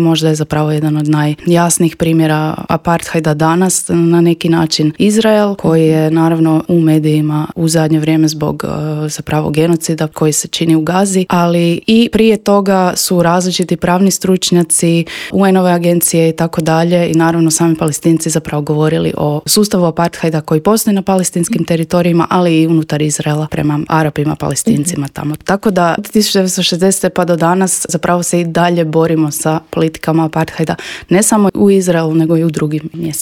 Možda je zapravo jedan od najjasnijih primjera apartheida danas na neki način Izrael, koji je naravno u medijima u zadnje vrijeme zbog zapravo genocida koji se čini u Gazi, ali i prije toga su različiti pravni stručnjaci, UN-ove agencije i tako dalje i naravno sami Palestinci zapravo govorili o sustavu apartheida koji postoji na palestinskim teritorijima, ali i unutar Izraela prema Arapima, Palestincima tamo. Tako da od 1960. pa do danas zapravo se i dalje borimo sa politikama apartheida, ne samo u Izraelu, nego i u drugim mjestima.